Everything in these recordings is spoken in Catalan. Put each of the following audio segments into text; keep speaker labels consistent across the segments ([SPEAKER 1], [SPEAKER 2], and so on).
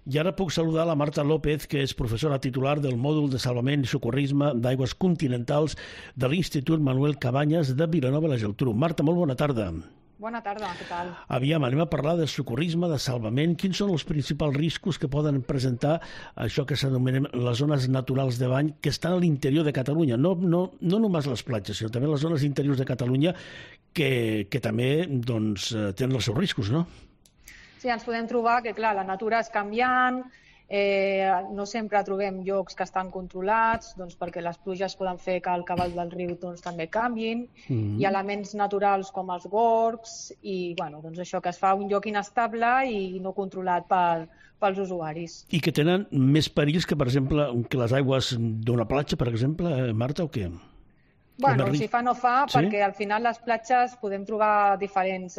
[SPEAKER 1] I ara puc saludar la Marta López, que és professora titular del mòdul de salvament i socorrisme d'aigües continentals de l'Institut Manuel Cabanyes de Vilanova i la Geltrú. Marta, molt bona tarda.
[SPEAKER 2] Bona tarda, què tal?
[SPEAKER 1] Aviam, anem a parlar de socorrisme, de salvament. Quins són els principals riscos que poden presentar això que s'anomenen les zones naturals de bany que estan a l'interior de Catalunya? No només les platges, sinó també les zones interiors de Catalunya que també tenen els seus riscos, no?
[SPEAKER 2] Sí, ens podem trobar que, clar, la natura és canviant, no sempre trobem llocs que estan controlats, perquè les pluges poden fer que el cabal del riu també canviin. Hi ha elements naturals com els gorgs i això que es fa un lloc inestable i no controlat pels usuaris.
[SPEAKER 1] I que tenen més perills que, per exemple, que les aigües d'una platja, per exemple, Marta, o què?
[SPEAKER 2] Bueno, si fa no fa, perquè al final les platges podem trobar diferents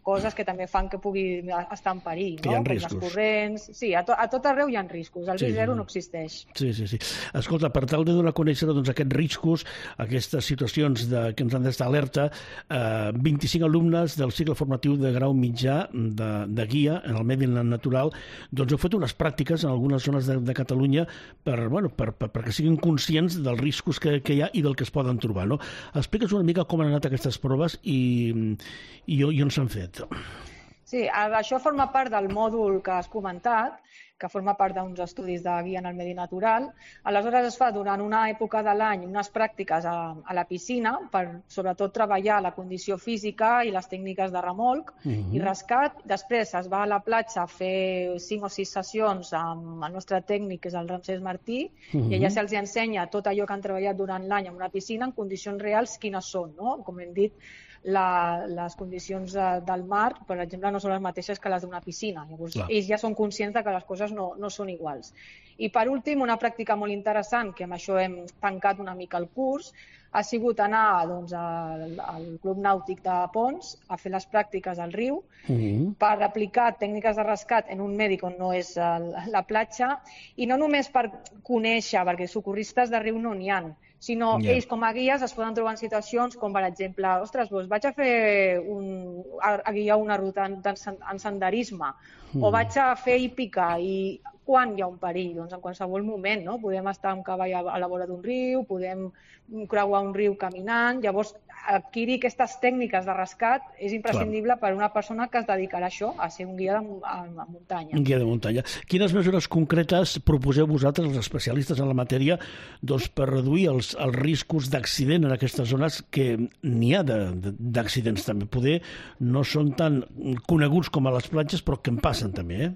[SPEAKER 2] coses que també fan que pugui estar en perill, no?
[SPEAKER 1] Que hi ha riscos.
[SPEAKER 2] Com les corrents. Sí, a tot arreu hi ha riscos. El risc zero no existeix.
[SPEAKER 1] Sí. Escolta, per tal de donar a conèixer aquests riscos, aquestes situacions que ens han d'estar alerta, 25 alumnes del cicle formatiu de grau mitjà de guia en el medi natural heu fet unes pràctiques en algunes zones de Catalunya perquè siguin conscients dels riscos que hi ha i del que es poden trobar, no? Explica'ns una mica com han anat aquestes proves i on s'han fet.
[SPEAKER 2] Sí, això forma part del mòdul que has comentat, que forma part d'uns estudis de guia en el medi natural. Aleshores es fa durant una època de l'any unes pràctiques a la piscina per sobretot treballar la condició física i les tècniques de remolc i rescat. Després es va a la platja a fer 5 o 6 sessions amb el nostre tècnic, que és el Ramsès Martí, i allà se'ls ensenya tot allò que han treballat durant l'any en una piscina en condicions reals quines són, no? Com hem dit, les condicions del mar, per exemple, no són les mateixes que les d'una piscina. Llavors, ells ja són conscients que les coses no són iguals. I per últim, una pràctica molt interessant, que amb això hem tancat una mica el curs, ha sigut anar al Club Nàutic de Ponts a fer les pràctiques al riu per aplicar tècniques de rescat en un medi on no és la platja, i no només per conèixer, perquè socorristes de riu no n'hi ha, sinó ells com a guies es poden trobar en situacions com, per exemple, ostres, vaig a fer a guiar una ruta en senderisme o vaig a fer hípica, i quan hi ha un perill? Doncs en qualsevol moment, no? Podem estar amb cavall a la vora d'un riu, podem creuar un riu caminant. Llavors, adquirir aquestes tècniques de rescat és imprescindible per a una persona que es dedicarà a això, a ser un guia de muntanya.
[SPEAKER 1] Un guia de muntanya. Quines mesures concretes proposeu vosaltres, els especialistes en la matèria, per reduir els riscos d'accident en aquestes zones, que n'hi ha d'accidents també? Poder no són tan coneguts com a les platges, però que en passen també,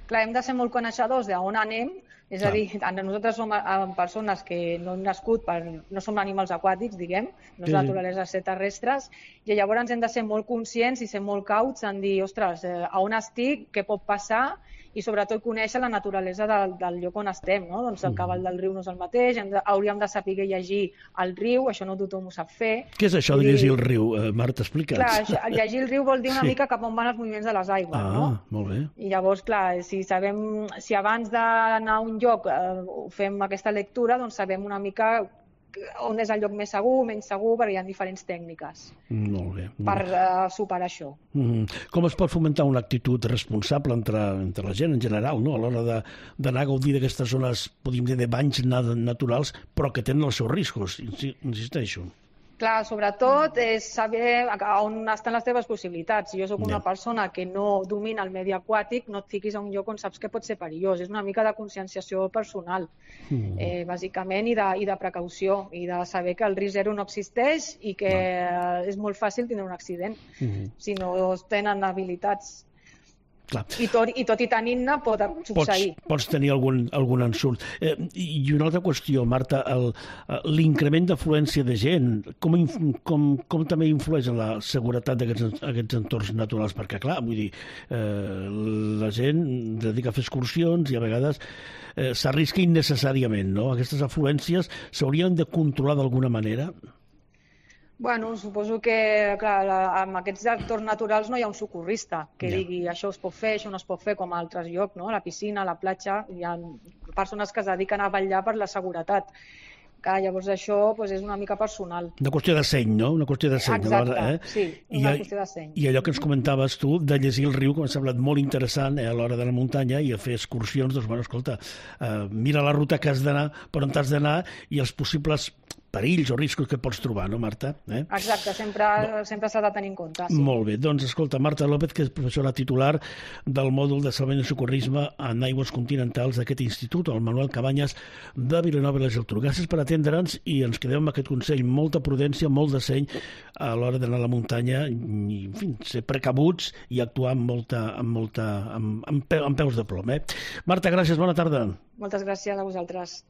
[SPEAKER 2] Clar, hem de ser molt coneixedors d'on anem, és a dir, nosaltres som persones que no hem nascut, no som animals aquàtics, diguem, no és naturalesa ser terrestres, i llavors hem de ser molt conscients i ser molt cauts en dir, ostres, a on estic, què pot passar, i sobretot conèixer la naturalesa del lloc on estem, no? Doncs el cabal del riu no és el mateix, hauríem de saber llegir el riu, això no tothom ho sap fer.
[SPEAKER 1] Què és això de llegir el riu, Marta, explica'ns?
[SPEAKER 2] Clar, llegir el riu vol dir una mica cap on van els moviments de les aigües, no?
[SPEAKER 1] Molt bé.
[SPEAKER 2] I llavors, clar, si abans d'anar a un lloc fem aquesta lectura, doncs sabem una mica on és el lloc més segur, menys segur, perquè hi ha diferents tècniques per superar això.
[SPEAKER 1] Com es pot fomentar una actitud responsable entre la gent en general, no? A l'hora d'anar a gaudir d'aquestes zones, podríem dir, de banys naturals, però que tenen els seus riscos, insisteixo.
[SPEAKER 2] Clar, sobretot és saber on estan les teves possibilitats. Si jo soc una persona que no domina el medi aquàtic, no et fiquis a un lloc on saps que pot ser perillós. És una mica de conscienciació personal, bàsicament, i de precaució, i de saber que el risc zero no existeix i que és molt fàcil tindre un accident si no tenen habilitats. I tot i tenint-ne pot succeir.
[SPEAKER 1] Pots tenir algun ensurt. I una altra qüestió, Marta, l'increment d'afluència de gent, com també influeix en la seguretat d'aquests entorns naturals? Perquè, clar, vull dir, la gent dedica a fer excursions i a vegades s'arrisca innecessàriament, no? Aquestes afluències s'haurien de controlar d'alguna manera?
[SPEAKER 2] Bueno, suposo que, clar, en aquests entorns naturals no hi ha un socorrista que digui això es pot fer, això no es pot fer, com a altres llocs, no? A la piscina, a la platja, hi ha persones que es dediquen a vetllar per la seguretat. que llavors això és una mica personal.
[SPEAKER 1] Una qüestió de seny, no? Una qüestió de seny.
[SPEAKER 2] Exacte, sí, una qüestió de seny.
[SPEAKER 1] I allò que ens comentaves tu, de llegir el riu, que m'ha semblat molt interessant a l'hora de la muntanya i a fer excursions, doncs, bueno, escolta, mira la ruta que has d'anar, per on t'has d'anar i els possibles perills o riscos que pots trobar, no, Marta?
[SPEAKER 2] Exacte, sempre s'ha de tenir en compte. Sí.
[SPEAKER 1] Molt bé, doncs escolta, Marta López, que és professora titular del mòdul de salvament i socorrisme en aigües continentals d'aquest institut, el Manuel Cabanyes de Vilanova i la Geltrú. Gràcies per atendre'ns i ens quedem amb aquest consell, molta prudència, molt de seny a l'hora d'anar a la muntanya i, en fi, ser precabuts i actuar amb peus de plom. Marta, gràcies, bona tarda.
[SPEAKER 2] Moltes gràcies a vosaltres.